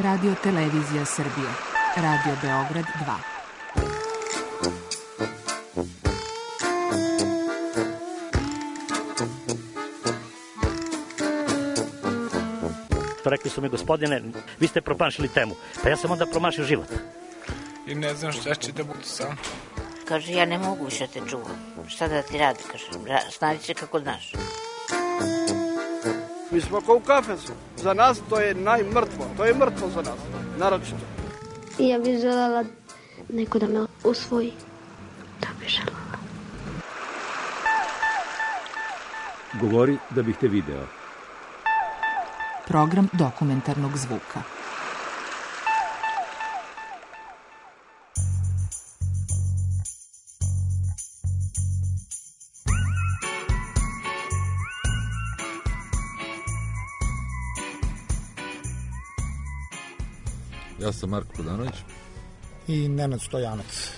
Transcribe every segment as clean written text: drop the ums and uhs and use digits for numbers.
Radio Televizija Srbije. Radio Beograd 2. Rekli su mi, gospodine, vi ste promašili temu. Pa ja sam onda promašio život. I ne znam šta će da budu sam. Kaže, ja ne mogu više te čuvam. Šta da ti radi? Kaže, snađi se kako znaš. Mi smo kao u kafesu. Za nas to je najmrtvo. To je mrtvo za nas. Naročito. Ja bih želela neko da me usvoji. Da bih želela. Govori da bih te video. Program dokumentarnog zvuka. Ja sam Marko Kodanović. I Nenad Stojanac.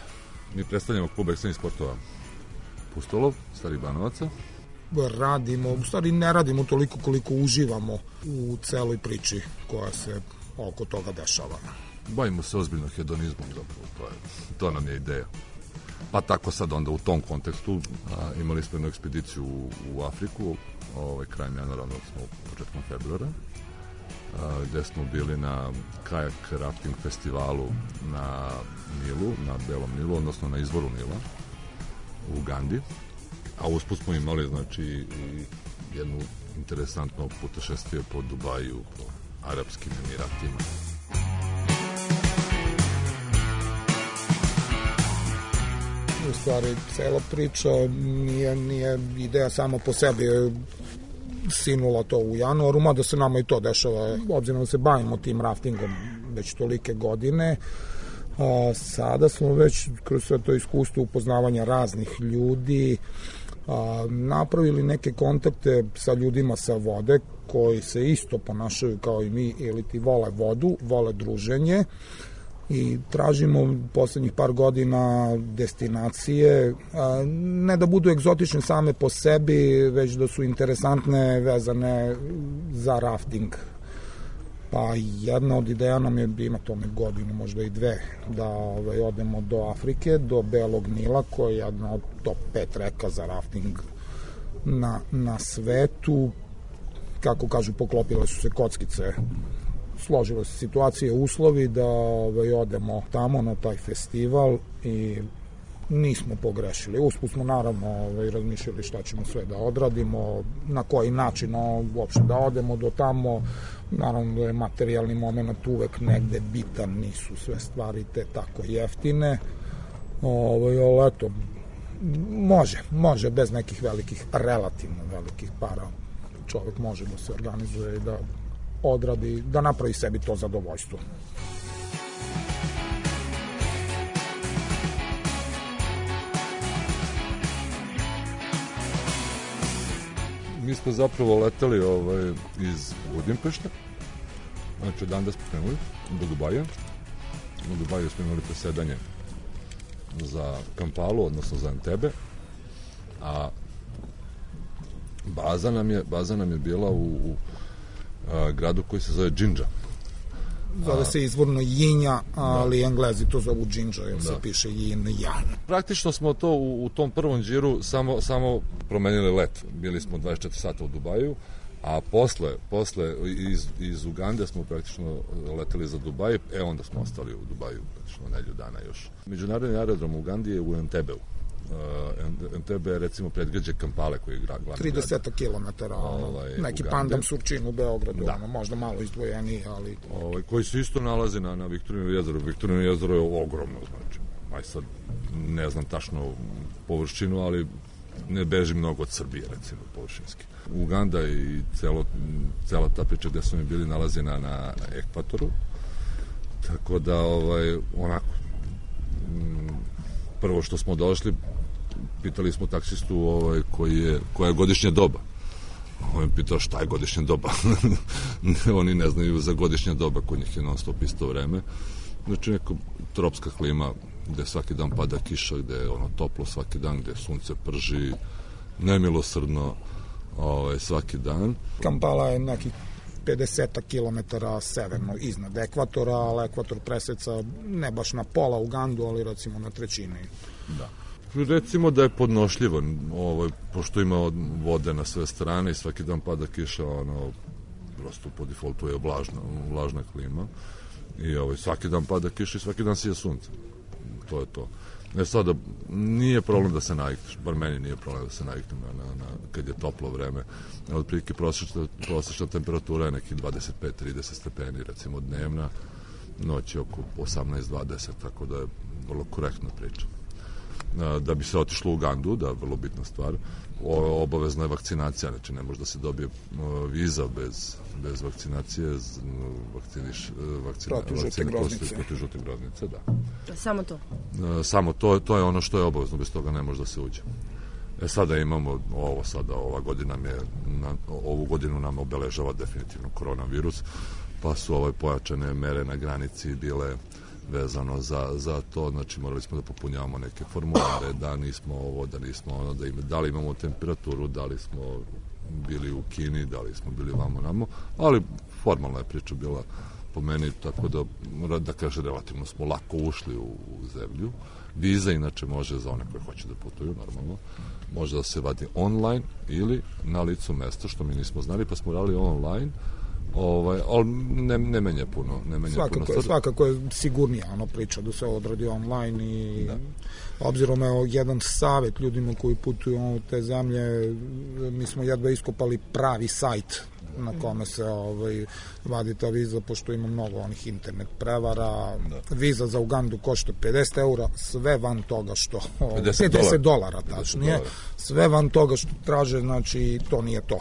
Mi predstavljamo klub ekstremnih sportova Pustolov, Starih Banovaca. Radimo, u stvari ne radimo toliko koliko uživamo u celoj priči koja se oko toga dešava. Bavimo se ozbiljno hedonizmom, zapravo, to nam je ideja. Pa tako sad onda u tom kontekstu imali smo jednu ekspediciju u Afriku, krajem januara, odnosno početkom februara, gde smo bili na kajak rafting festivalu na Nilu, na Belom Nilu, odnosno na izvoru Nila u Ugandi. A usput smo imali, znači, i jednu interesantno putešestvije po Dubaju, po Arapskim Emiratima. U stvari, cela priča nije ideja samo po sebi sinula to u januaru, mada se nama i to dešava, obzirom da se bavimo tim raftingom već tolike godine. Sada smo već kroz sve to iskustvo upoznavanja raznih ljudi napravili neke kontakte sa ljudima sa vode koji se isto ponašaju kao i mi ili ti vole vodu, vole druženje i tražimo poslednjih par godina destinacije, ne da budu egzotične same po sebi, već da su interesantne, vezane za rafting. Pa jedna od ideja nam je, ima tome godinu, možda i dve, da odemo do Afrike, do Belog Nila, koja je jedna od top 5 reka za rafting na svetu. Kako kažu, poklopile su se kockice, složile se situacije, uslovi da odemo tamo na taj festival i nismo pogrešili. Usput smo naravno razmišljali šta ćemo sve da odradimo, na koji način uopšte da odemo do tamo. Naravno da je materijalni moment uvek negde bitan, nisu sve stvari te tako jeftine. Ali eto, može bez nekih velikih, relativno velikih para. Čovek može da se organizuje i da odradi, da napravi sebi to zadovoljstvo. Mi smo zapravo leteli iz Budimpešta, znači odande smo krenuli do Dubaja. U Dubaju smo imali presedanje za Kampalu, odnosno za Entebe, a baza nam je bila u gradu koji se zove Džindža. Zove se izvorno Jinja, ali Englezi to zovu Džindža, jer se piše Yin-Jan. Praktično smo to u tom prvom džiru samo promenili let. Bili smo 24 sata u Dubaju, a posle iz Ugande smo praktično leteli za Dubaj, onda smo ostali u Dubaju praktično nedelju dana još. Međunarodni aerodrom u Ugandi je u Entebeu. Entebe je recimo predgrađe Kampale koji je glavni grad. 30 kilometara, neki pandam Surčin u Beogradu, možda malo izdvojeniji, ali... koji se isto nalazi na Viktorinovom jezeru. Viktorinovo jezero je ogromno, znači. Sad ne znam tačno površinu, ali ne beži mnogo od Srbije, recimo, površinski. Uganda i cela ta priča gde smo mi bili nalazi na ekvatoru, tako da onako prvo što smo došli, pitali smo taksistu koja je godišnja doba. On je pitao šta je godišnja doba. Oni ne znaju za godišnja doba, kod njih je non stop isto vreme. Znači neka tropska klima gde svaki dan pada kiša, gde je toplo svaki dan, gde sunce prži nemilosrdno svaki dan. Kampala je nekih 50 km severno iznad ekvatora, ali ekvator preseca ne baš na pola Ugandu, ali recimo na trećini. Da. Recimo da je podnošljivo, pošto ima vode na sve strane i svaki dan pada kiša, prosto po defaultu je vlažna klima i svaki dan pada kiša i svaki dan sije sunce. To je to. Sada, nije problem da se navikneš, bar meni nije problem da se naviknem kad je toplo vreme. Otprilike prosječna temperatura je nekih 25-30 stepeni, recimo dnevna, noć je oko 18-20, tako da je vrlo korektna priča. Da bi se otišlo u Ugandu, da je vrlo bitna stvar, obavezna je vakcinacija, znači ne može da se dobije viza bez vakcinacije, protiv žute groznice, da. Samo to? Samo to je ono što je obavezno, bez toga ne može da se uđe. Sada imamo ovu godinu nam obeležava definitivno koronavirus, pa su pojačane mere na granici bile vezano za to, znači morali smo da popunjavamo neke formulare, da nismo ovo, da nismo ono, da li imamo temperaturu, da li smo bili u Kini, da li smo bili vamo, ali formalna je priča bila po meni, tako da kaže, relativno smo lako ušli u zemlju. Viza inače može za one koje hoće da putuju, normalno, može da se vadi online ili na licu mesta, što mi nismo znali, pa smo radili online, ali ne menja puno. Svakako je sigurnija priča da se odradi online i obzirom je jedan savjet ljudima koji putuju u te zemlje, mi smo jedva iskopali pravi sajt na kome se vadi ta viza, pošto ima mnogo onih internet prevara. Viza za Ugandu košta 50 eura, sve van toga što $50 tačnije, sve van toga što traže, znači to nije to.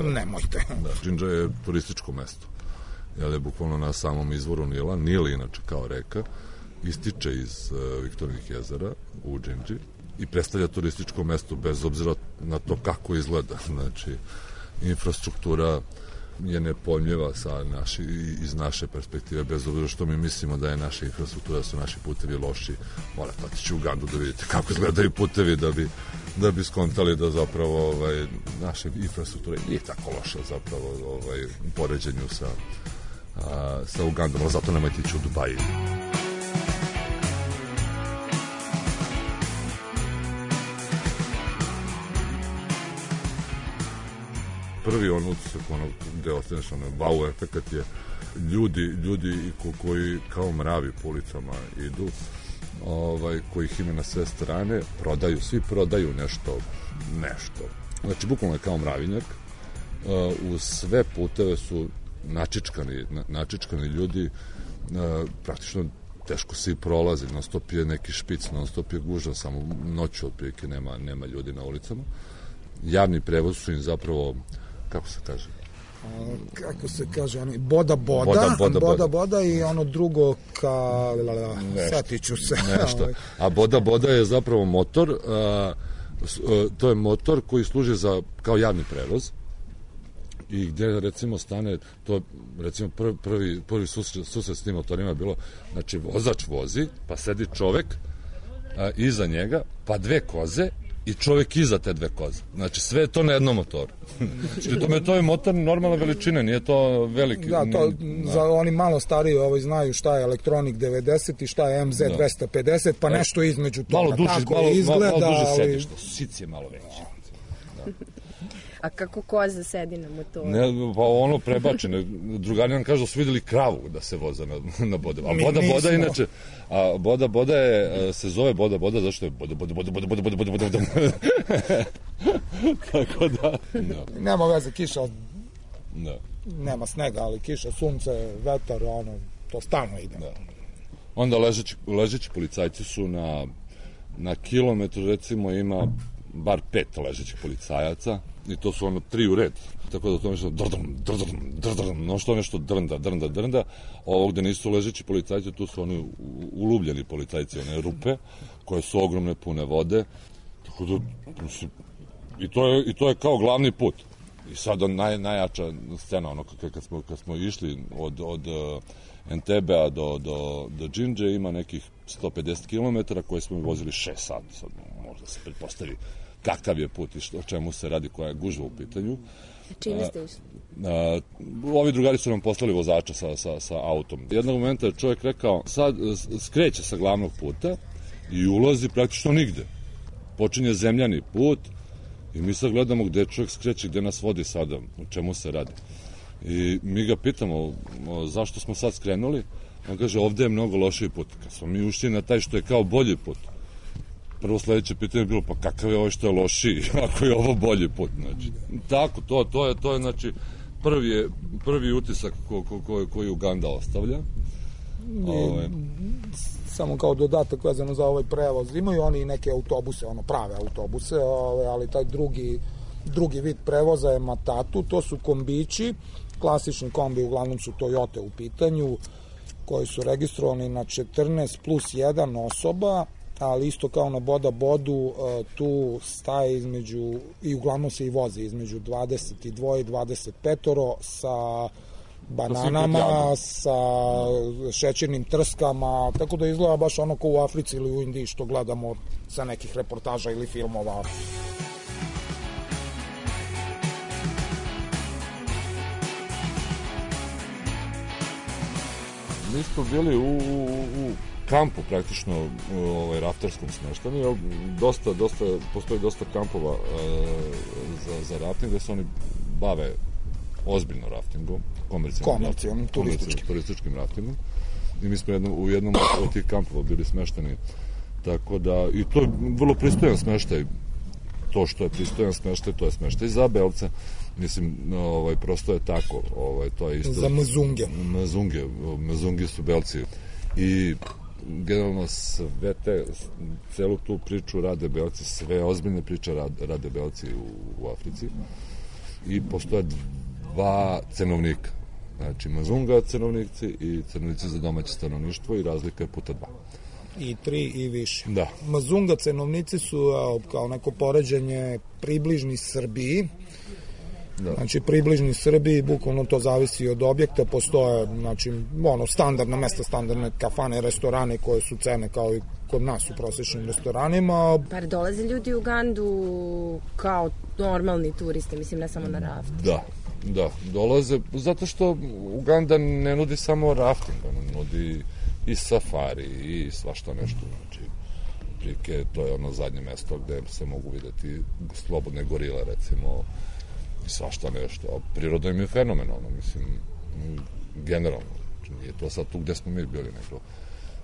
Nemojte. Džindža je turističko mesto. Je bukvalno na samom izvoru Nila. Nil, inače kao reka, ističe iz Viktorijinih jezera u Džindži i predstavlja turističko mesto bez obzira na to kako izgleda. Znači, infrastruktura je nepojmljiva iz naše perspektive, bez obzira što mi mislimo da je naša infrastruktura, da su naši putevi loši. Morate otići u Ugandu da vidite kako izgledaju putevi, da bi skontali da zapravo naša infrastruktura nije tako loša zapravo u poređenju sa Ugandom, ali zato nemojte ići u Dubaji. Prvi utisak, gde ostaneš, wow efekat je ljudi koji kao mravi po ulicama idu, kojih ima na sve strane, svi prodaju nešto. Znači, bukvalno je kao mravinjak, u sve puteve su načičkani ljudi, praktično teško se i prolazi, non stop je neki špic, non stop je gužva, samo noću otprilike nema ljudi na ulicama. Javni prevoz su im zapravo, kako se kaže, boda i ono drugo setiću se. Nešto. A boda je zapravo motor, to je motor koji služi kao javni prevoz i gde recimo stane, to recimo prvi susret s tim motorima je bilo, znači vozač vozi, pa sedi čovek iza njega, pa dve koze i čovjek iza te dve koze. Znači, sve je to na jednom motoru. Znači, to je motor normalne veličine, nije to veliki. Da, za oni malo stariji znaju šta je Electronic 90 i šta je MZ 250, pa nešto između toga. Tako izgleda. Malo duže sedište, sic je malo veći. A kako koza sedi na motoru? Ne, pa ono prebačeno. Drugari nam kažu da su videli kravu da se voza na boda. A boda inače, boda se zove boda zašto je boda. Tako da. Nema veze, kiša, nema snega, ali kiša, sunce, vetar, to stalno ide. Onda ležeći policajci su na kilometru, recimo, ima bar 5 ležećih policajaca i to su 3 u red. Tako da to nešto nešto drnda. Ovo gde nisu ležeći policajci, tu su oni ulubljeni policajci, one rupe koje su ogromne, pune vode. Tako da, i to je kao glavni put. I sad najjača scena, kad smo išli od Entebea do Džindže, ima nekih 150 km koje smo vozili 6 sati. Sad možda se pretpostavi kakav je put i o čemu se radi, koja je gužva u pitanju. Čime ste išli? Ovi drugari su nam poslali vozača sa autom. Jednog momenta je čovjek rekao, sad skreće sa glavnog puta i ulazi praktično nigde. Počinje zemljani put i mi sad gledamo gde čovjek skreće, gde nas vodi sada, o čemu se radi. I mi ga pitamo zašto smo sad skrenuli. On kaže, ovde je mnogo lošiji put. Kad smo mi ušli na taj što je kao bolji put, prvo sledeće pitanje je bilo, pa kakav je ovo što je lošiji, ako je ovo bolji put. Znači, tako, to je znači, prvi utisak koji Uganda ostavlja. Samo kao dodatak vezano za ovaj prevoz. Imaju oni neke autobuse, prave autobuse, ali taj drugi vid prevoza je matatu, to su kombići, klasični kombi, uglavnom su Toyota u pitanju, koji su registrovani na 14 plus 1 osoba, ali isto kao na Boda Bodu, tu staje između, i uglavnom se i voze između 22 i 25 sa bananama, sa šećernim trskama, tako da izgleda baš ono kao u Africi ili u Indiji što gledamo sa nekih reportaža ili filmova. Mi smo bili u kampu praktično rafterskom smeštani. Postoji dosta kampova za rafting gde se oni bave ozbiljno raftingom, komercijalnim turističkim raftingom. I mi smo u jednom od tih kampova bili smeštani. Tako da, i to je vrlo pristojan smeštaj. To što je pristojan smeštaj, to je smeštaj za belce. Mislim, prosto je tako. To je isto za mezunge. Mezungi su belci. I generalno celu tu priču rade belci, sve ozbiljne priče rade belci u Africi. I postoje dva cenovnika. Znači, mezunga cenovnici i cenovnici za domaće stanovništvo i razlika je puta 2. I 3 i više. Da. Mazunga cenovnici su kao neko poređenje približni Srbiji. Da. Znači, približni Srbiji, bukvalno to zavisi od objekta, postoje, znači, standardna mesta, standardne kafane, restorane koje su cene kao i kod nas u prosječnim restoranima. Pa dolaze ljudi u Ugandu kao normalni turisti, mislim, ne samo na rafting. Da, dolaze, zato što Uganda ne nudi samo rafting, ona nudi i safari i svašta nešto, znači, prike, to je ono zadnje mesto gde se mogu videti slobodne gorile, recimo, i svašta nešto, a priroda im je fenomenalno, mislim, generalno, nije to sad tu gde smo mi bili, nego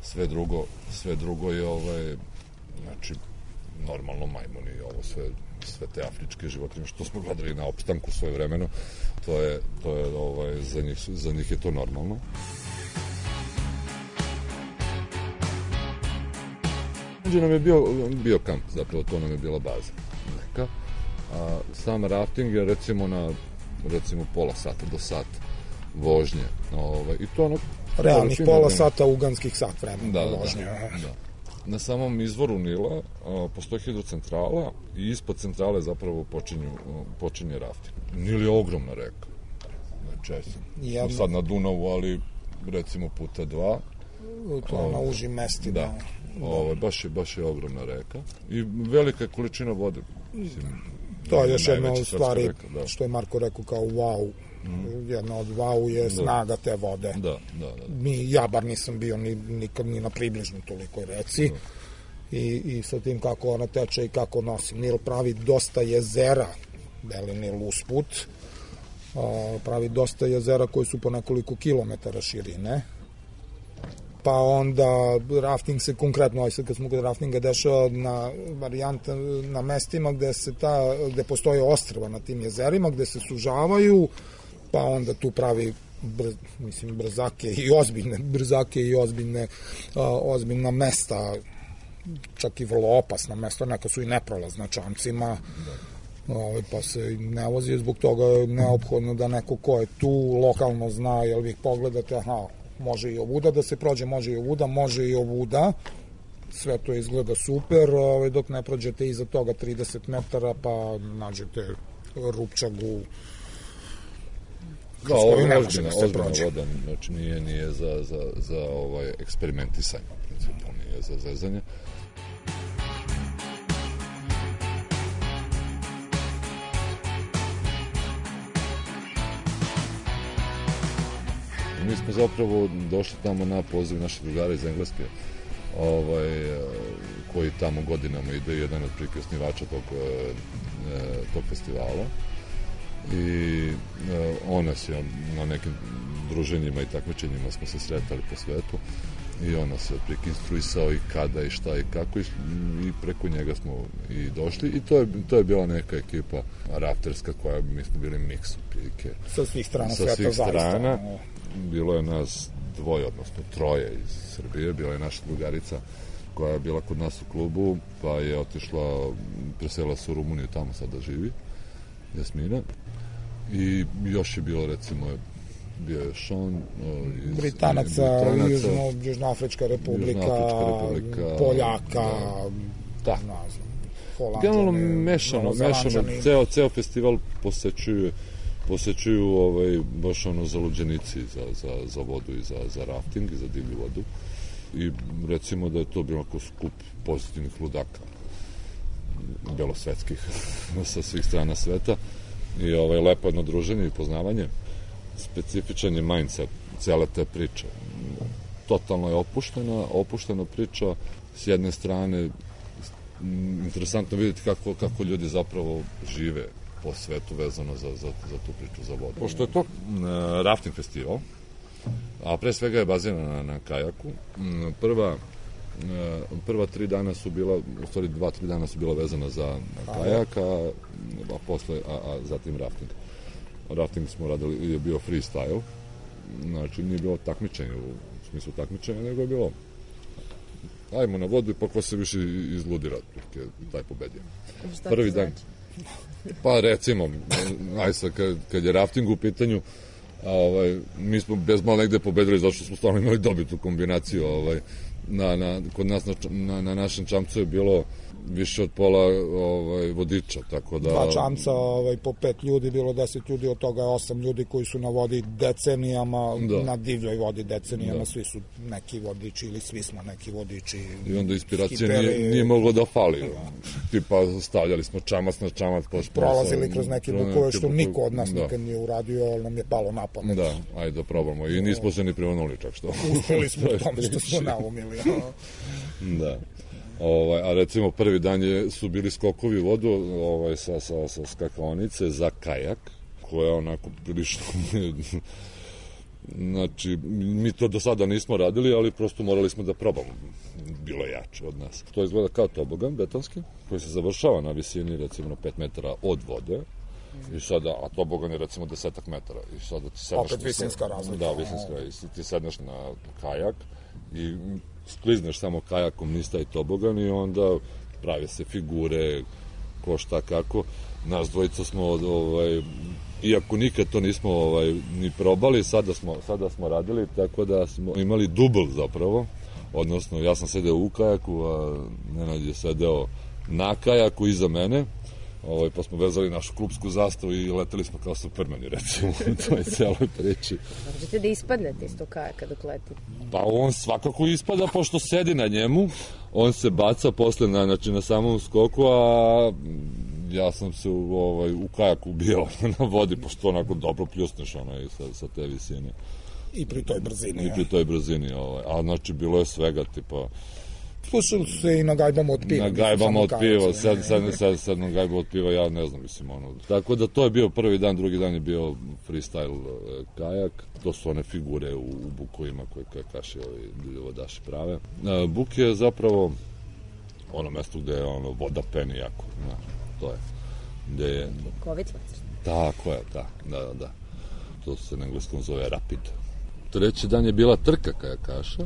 sve drugo je, znači, normalno majmuni, ovo sve te afričke životinje, što smo gledali na opstanku svoje vremeno, to je za njih je to normalno. Nam je bio kamp, zapravo to nam je bila baza neka. A sam rafting je recimo pola sata do sat vožnje. I to ono... Realnih pola sata uganskih sat vremena vožnje. Da. Na samom izvoru Nila postoji hidrocentrala i ispod centrale zapravo počinje rafting. Nil je ogromna reka. Znači, sad na Dunavu, ali recimo puta 2. To na užim mestima. Da. Baš je ogromna reka i velika količina vode. Mislim, to je još jedna od stvari što je Marko rekao kao wow. Jedna od wow je snaga te vode. Da. Ja bar nisam bio nikad ni na približno tolikoj reci. I sa tim kako ona teče i kako nosi. Nil pravi dosta jezera, beli Nil usput, pravi dosta jezera koji su po nekoliko kilometara širine. Pa onda rafting se konkretno, kad smo kod raftinga, dešava na mestima gde postoje ostrva na tim jezerima, gde se sužavaju, pa onda tu pravi brzake i ozbiljna mesta, čak i vrlo opasna mesta, neka su i neprolazna čamcima, pa se ne vozi, zbog toga je neophodno da neko ko je tu lokalno zna, jer vi pogledate, može i ovuda da se prođe, može i ovuda, sve to izgleda super, dok ne prođete iza toga 30 metara, pa nađete rupčagu, Da, ovo je ozbiljna voda, znači nije za eksperimentisanje, u principu, nije za zezanje. Mi smo zapravo došli tamo na poziv naših drugara iz Engleske, koji tamo godinama ide, jedan od osnivača tog festivala. I on nas je na nekim druženjima i takmičenjima smo se sretali po svetu i on nas je otprilike instruisao i kada i šta i kako i preko njega smo i došli i to je bila neka ekipa rafterska koja mi smo bili miks otprilike. Sa svih strana sa sveta svih strana. Zaista. Bilo je nas dvoje, odnosno troje iz Srbije, bila je naša drugarica koja je bila kod nas u klubu, pa je otišla, preselila se u Rumuniju, tamo sada živi, Jasmina. I još je bilo, recimo, bio je Sean iz Britanaca, Južnoafrička republika, Poljaka, Holanđani. Generalno mešano, ceo festival posećuju baš zaluđenici za vodu i za rafting i za divlju vodu. I recimo da je to bilo ako skup pozitivnih ludaka, belosvetskih, sa svih strana sveta. I lepo jedno druženje i poznavanje. Specifičan je mindset cele te priče. Totalno je opuštena priča. S jedne strane, interesantno vidjeti kako ljudi zapravo žive po svetu vezano za tu priču za vodu. Pošto je to rafting festival, a pre svega je bazirana na kajaku, prva 3 dana su bila, u stvari 2-3 dana su bila vezana za kajak, a zatim rafting. Rafting smo radili, je bio freestyle, znači nije bilo takmičenje u smislu takmičenja, nego je bilo ajmo na vodu i pa ko se više izludira, taj pobedio. Prvi dan. Pa recimo, kad je rafting u pitanju, mi smo bez malo negde pobedili zato što smo stvarno imali dobitu kombinaciju. Kod nas na našem čamcu je bilo više od pola vodiča, tako da... 2 čamca po 5 ljudi, bilo 10 ljudi, od toga 8 ljudi koji su na vodi decenijama, na divljoj vodi decenijama, svi su neki vodiči ili svi smo neki vodiči. I onda inspiracija nije moglo da fali. Tipa stavljali smo čamac na čamac. Prolazili kroz neke bukove što niko od nas nikad nije uradio, ali nam je palo na pamet. Da, ajde da probamo. I nismo se ni privanuli čak što. Uspeli smo u tom što smo naumili. Da. A recimo prvi dan su bili skokovi u vodu sa skakaonice za kajak, koja je onako prilično... Znači, mi to do sada nismo radili, ali prosto morali smo da probamo. Bilo je jače od nas. To izgleda kao tobogan betonski, koji se završava na visini recimo 5 metara od vode. I sada, a tobogan je recimo 10 metara. I sada ti sedneš... Opet visinska razlika. Da, visinska. I ti sedneš na kajak i sklizneš samo kajakom niz taj tobogan i onda prave se figure, ko šta kako. Nas dvojica smo, iako nikad to nismo ni probali, sada smo radili, tako da smo imali dubl zapravo, odnosno ja sam sedeo u kajaku, a Nenad je sedeo na kajaku iza mene, pa smo vezali našu klupsku zastavu i leteli smo kao Supermani, recimo, u toj celoj priči. Možete da ispadnete iz tog kajaka dok letite? Pa on svakako ispada, pošto sedi na njemu, on se baca posle na samom skoku, a ja sam se u kajaku ubijao na vodi, pošto onako dobro pljusneš sa te visine. I pri toj brzini. I pri toj brzini, a znači bilo je svega, tipa... Slušali su se i na gajbama od piva. Na gajbama od piva, sad na gajbama od piva, ja ne znam, mislim, Tako da to je bio prvi dan, drugi dan je bio freestyle kajak. To su one figure u bukovima koje kaši vodaši prave. Buk je zapravo ono mesto gde je voda peni jako, to je. Gde je... Bukovica. Tako je, da. To se na engleskom zove rapid. Treći dan je bila trka kajakaša,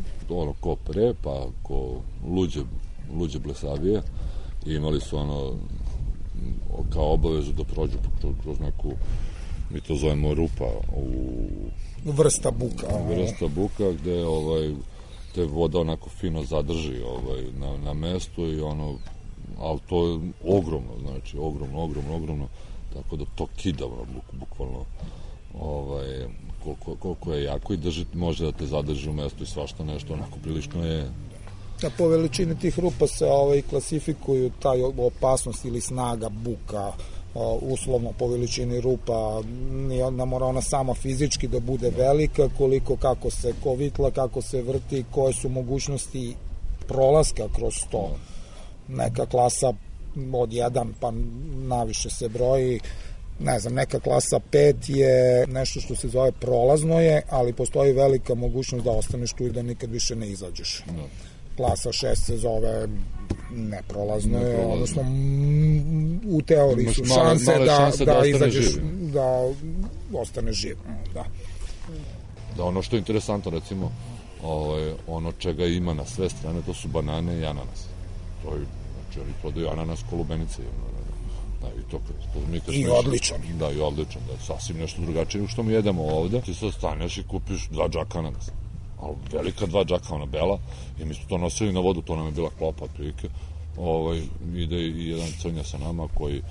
ko pre, pa ko luđe blesavije. I imali su kao obavezu da prođu kroz neku, mi to zovemo rupa, vrsta buka, gde te voda onako fino zadrži na mestu i ali to je ogromno, znači ogromno, tako da to kida bukvalno koliko je jako i može da te zadrži u mestu i svašta nešto, onako prilično je... Po veličini tih rupa se klasifikuju taj opasnost ili snaga buka uslovno po veličini rupa, ne mora ona sama fizički da bude velika, koliko kako se kovitla, kako se vrti, koje su mogućnosti prolaska kroz to. Neka klasa od 1 pa naviše se broji, ne znam, neka klasa 5 je nešto što se zove prolazno je, ali postoji velika mogućnost da ostaneš tu i da nikad više ne izađeš. Klasa 6 se zove neprolazno je, odnosno u teoriji su šanse da izađeš, da ostaneš živ. Da, ono što je interesantno, recimo, ono čega ima na sve strane, to su banane i ananas. To je, znači, oni prodaju ananas ko lubenice. Da, i odličan. Da, i odličan, da, sasvim nešto drugačije nego što mi jedemo ovde. Ti sad staneš i kupiš 2 džaka ananasa. Ali velika 2 džaka, ona bela, i mi smo to nosili na vodu, to nam je bila klopa, otprilike. Ide i jedan crnja sa nama koji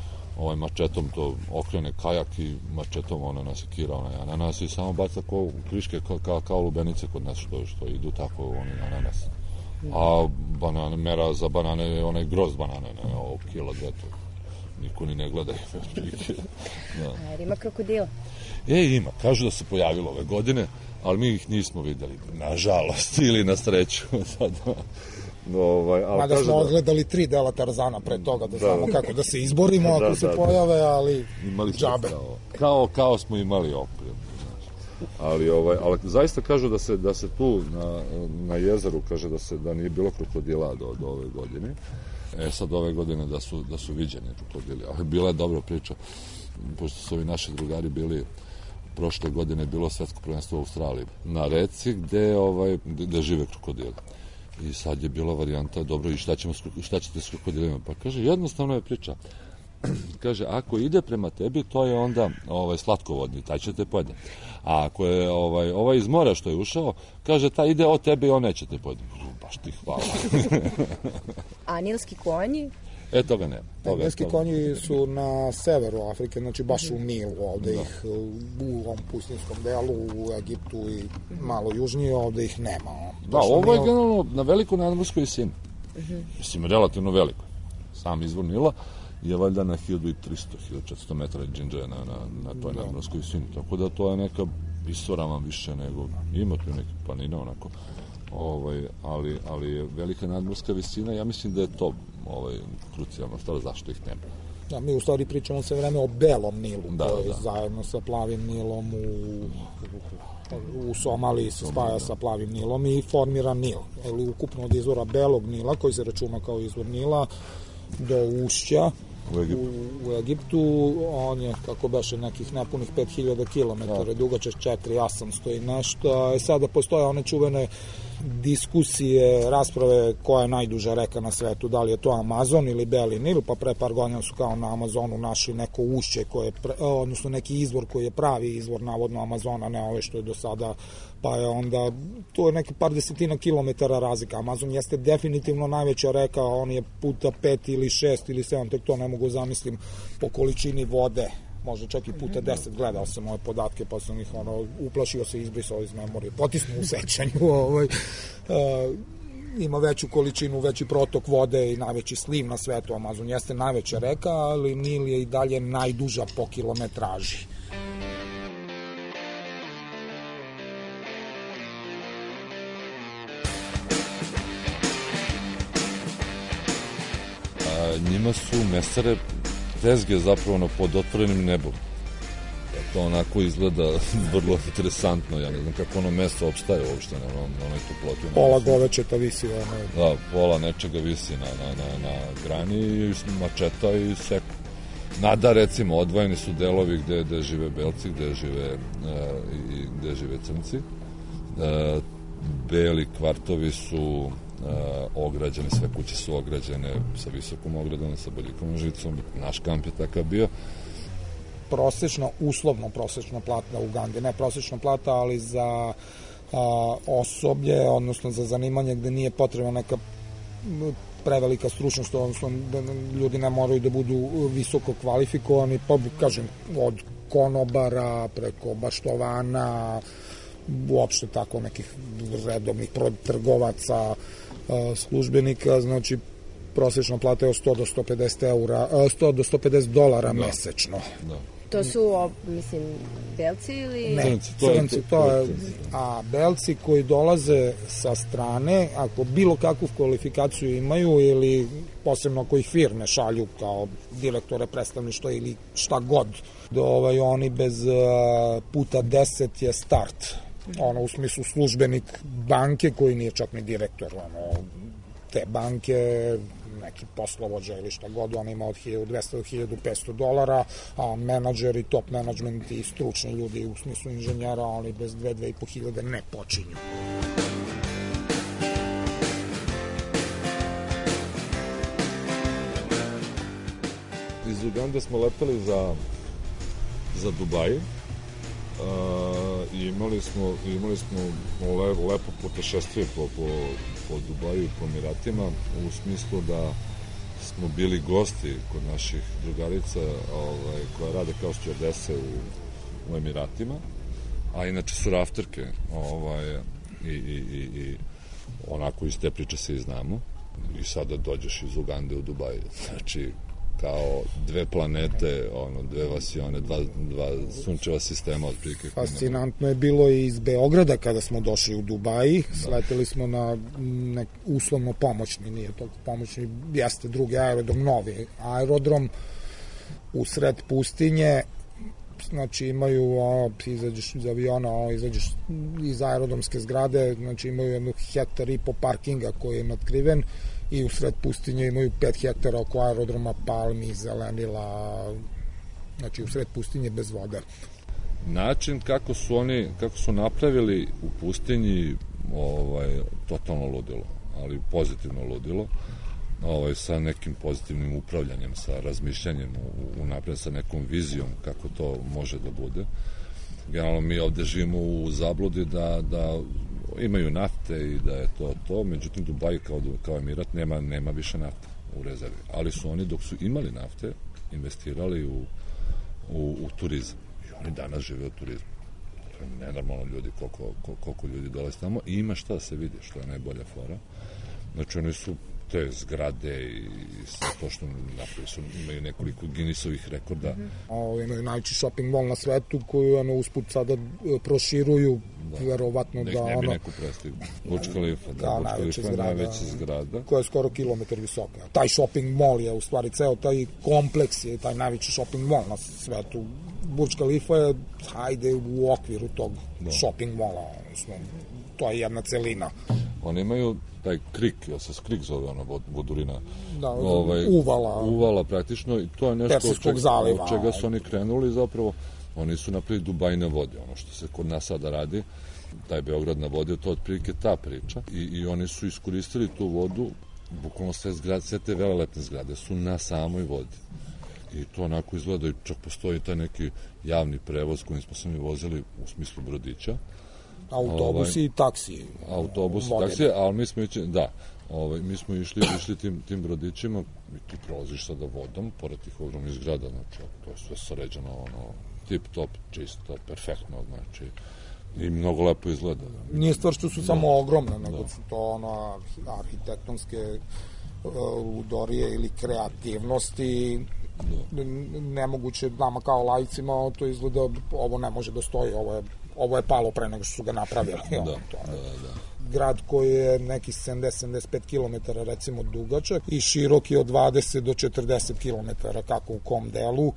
mačetom to okrene kajak i mačetom ona nasekira onaj ananas i samo baca u kriške kao lubenice kod nas što idu tako oni ananas. A banane, mera za banane je onaj groz banane, ne, ovo kila 2, niko ni ne gleda. Jer ima krokodila? Ima, kažu da se pojavilo ove godine, ali mi ih nismo videli, nažalost, ili na sreću. Mada smo odgledali 3 dela Tarzana pre toga, da znamo kako da se izborimo ako se pojave, ali džabe. Kao smo imali opremu. Ali zaista kažu da se tu na jezeru, kaže da nije bilo krokodila do ove godine. Sad ove godine da su viđeni krokodili, ali bila je dobra priča, pošto su ovi naši drugari bili, prošle godine je bilo svetsko prvenstvo u Australiji, na reci gde žive krokodili. I sad je bila varijanta, dobro, i šta ćete s krokodilima? Pa kaže, jednostavno je priča. Kaže, ako ide prema tebi, to je onda slatkovodni, taj će te pojede. A ako je ovaj iz mora što je ušao, kaže, taj ide od tebe i on neće te pojede. Baš ti hvala. A nilski konji? Toga nema. Nilski konji su na severu Afrike, znači baš u Nilu, ovde ih u ovom pustinskom delu, u Egiptu i malo južnije, ovde ih nema. Da, ovo je generalno na velikoj nadmorskoj visini. Mislim, relativno veliko. Sam izvor Nila je valjda na 1300-1400 metara džinđaja na toj nadmorskoj visini. Tako da to je neka visoravan više nego, ima tu neke planine onako, ali je velika nadmorska visina, ja mislim da je to krucijalna stvar, zašto ih nema. Da, mi u stvari pričamo sve vreme o belom Nilu, koji zajedno sa plavim Nilom u Somaliji se spaja sa plavim Nilom i formira Nil. Ukupno od izvora belog Nila, koji se računa kao izvor Nila, do ušća u Egiptu, on je, kako beše, nekih nepunih 5000 km, dugačak 4800 i nešto. Sada postoje one čuvene diskusije, rasprave koja je najduža reka na svetu, da li je to Amazon ili Beli Nil, pa pre par godina su kao na Amazonu našli neko ušće, odnosno neki izvor koji je pravi izvor navodno Amazona, ne ove što je do sada, pa je onda, to je neki par desetina kilometara razlika. Amazon jeste definitivno najveća reka, on je puta 5 ili 6 ili 7, tek to ne mogu zamislim po količini vode, možda čak i puta 10, gledao sam ove podatke, pa sam ih uplašio se, izbrisao iz memorije, potisnuo u sećanju, ima veću količinu, veći protok vode i najveći sliv na svetu. Amazon jeste najveća reka, ali Nil je i dalje najduža po kilometraži. Njima su mesare tezge zapravo pod otvorenim nebom. To onako izgleda vrlo interesantno, ja ne znam kako ono meso opstaje uopšte na onoj toploti. Pola govečeta visi. Da, pola nečega visi na grani i mačeta i seku. Nada, recimo, odvojeni su delovi gde žive belci, gde žive crnci. Beli kvartovi su ograđene, sve kuće su ograđene sa visokom ogradom, sa bodljikovom žicom. Naš kamp je takav bio. Uslovno prosečna plata u Ugandi, ne prosečna plata, ali za osoblje, odnosno za zanimanje gde nije potrebna neka prevelika stručnost, odnosno da ljudi ne moraju da budu visoko kvalifikovani, pa kažem, od konobara preko baštovana, uopšte tako nekih redovnih trgovaca, službenika, znači prosječna plata je od 100 do 150 eura, 100 do 150 dolara mesečno. Da. To su, mislim, belci ili... Ne, crnci, to je, a belci koji dolaze sa strane, ako bilo kakvu kvalifikaciju imaju ili posebno ako ih firme šalju kao direktore predstavništva ili šta god, oni bez puta 10 je start. U smislu službenik banke koji nije čak ni direktor, te banke, neki poslovođa ili šta god, on ima od 1200 do 1500 dolara, a menadžeri, top management i stručni ljudi u smislu inženjera, oni bez 2-2.500 ne počinju. Iz Ugande smo letali za Dubaj i imali smo lepo putešestvije po Dubaju i po Emiratima, u smislu da smo bili gosti kod naših drugarica koja rade kao stjuardese u Emiratima, a inače su rafterke i onako iz te priče se i znamo. I sada dođeš iz Ugande u Dubaj, znači kao dve planete, dve vasione, dva sunčeva sistema otprilike. Fascinantno je bilo i iz Beograda kada smo došli u Dubaji, sleteli smo na uslovno pomoćni, nije toliko pomoćni, jeste drugi aerodrom, novi aerodrom u sred pustinje, znači imaju, izađeš iz aviona, izađeš iz aerodromske zgrade, znači imaju 1,5 hektara parkinga koji je natkriven, i u sred pustinje imaju 5 hektara oko aerodroma, palmi, zelenila, znači u sred pustinje bez vode. Način kako su napravili u pustinji totalno ludilo, ali pozitivno ludilo, sa nekim pozitivnim upravljanjem, sa razmišljanjem unapred, sa nekom vizijom kako to može da bude. Generalno mi ovde živimo u zabludi da imaju nafte i da je to, međutim Dubaj kao Emirat nema više nafte u rezervi, ali su oni dok su imali nafte investirali u turizam i oni danas žive od turizma. To je nenormalno ljudi, koliko ljudi dolazi tamo i ima šta da se vidi, što je najbolja fora. Znači oni su te zgrade i sve to što napravi imaju nekoliko Guinnessovih rekorda. Imaju najveći shopping mall na svetu koju usput sada proširuju, verovatno da ne bi neku prestigla. Burj Khalifa, Burj Khalifa je najveća zgrada. Koja je skoro kilometar visoka. Taj shopping mall je u stvari ceo taj kompleks je taj najveći shopping mall na svetu. Burj Khalifa je u okviru tog shopping malla, to je jedna celina. Oni imaju taj krik, se krik zove vodurina, uvala praktično, i to je nešto od čega su oni krenuli zapravo. Oni su napravili Dubaj na vodi, ono što se kod nas sada radi, taj Beograd na vodi, to je otprilike ta priča, i oni su iskoristili tu vodu, bukvalno sve te velelepne zgrade su na samoj vodi. I to onako izgleda, i čak postoji taj neki javni prevoz kojim smo se mi vozili u smislu brodića. Autobusi i taksi. Autobusi i taksi, ali mi smo išli tim brodićima i ti prolaziš sada vodom, pored tih ogromnih zgrada, znači to je sve sređeno, tip top, čisto, perfektno, znači i mnogo lepo izgleda. Nije stvar što su samo ogromne, nego su to arhitektonske ludorije ili kreativnosti. Nemoguće nama kao lajcima to izgleda, ovo ne može da stoji, ovo je palo pre nego što su ga napravili. Grad koji je neki 70-75 km recimo dugačak i širok je od 20 do 40 km, kako u kom delu.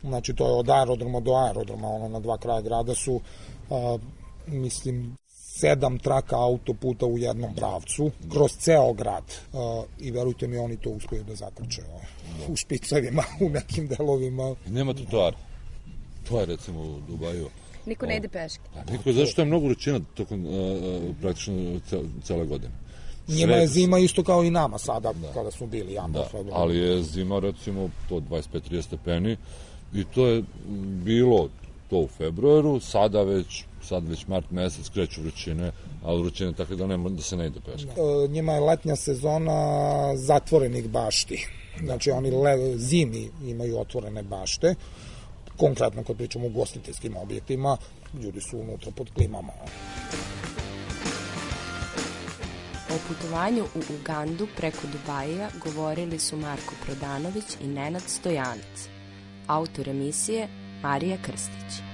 Znači to je od aerodroma do aerodroma, na dva kraja grada su mislim 7 traka autoputa u jednom pravcu, kroz ceo grad. I verujte mi, oni to uspeju da zakrče u špicevima, u nekim delovima. Nema trotoara. To je recimo u Dubaju. Niko ne ide peške. Niko, zašto je mnogo vrućina tokom praktično cele godine. Njima je zima isto kao i nama sada, kada smo bili januar. Ali je zima recimo to 25-30 stepeni i to je bilo to u februaru, sad već mart mesec kreću vrućine, ali vrućine tako da se ne ide peške. Njima je letnja sezona zatvorenih bašti. Znači oni zimi imaju otvorene bašte. Konkretno kad pričamo o ugostiteljskim objektima, ljudi su unutra pod klimama. O putovanju u Ugandu preko Dubaija govorili su Marko Prodanović i Nenad Stojanac. Autor emisije Marija Krstić.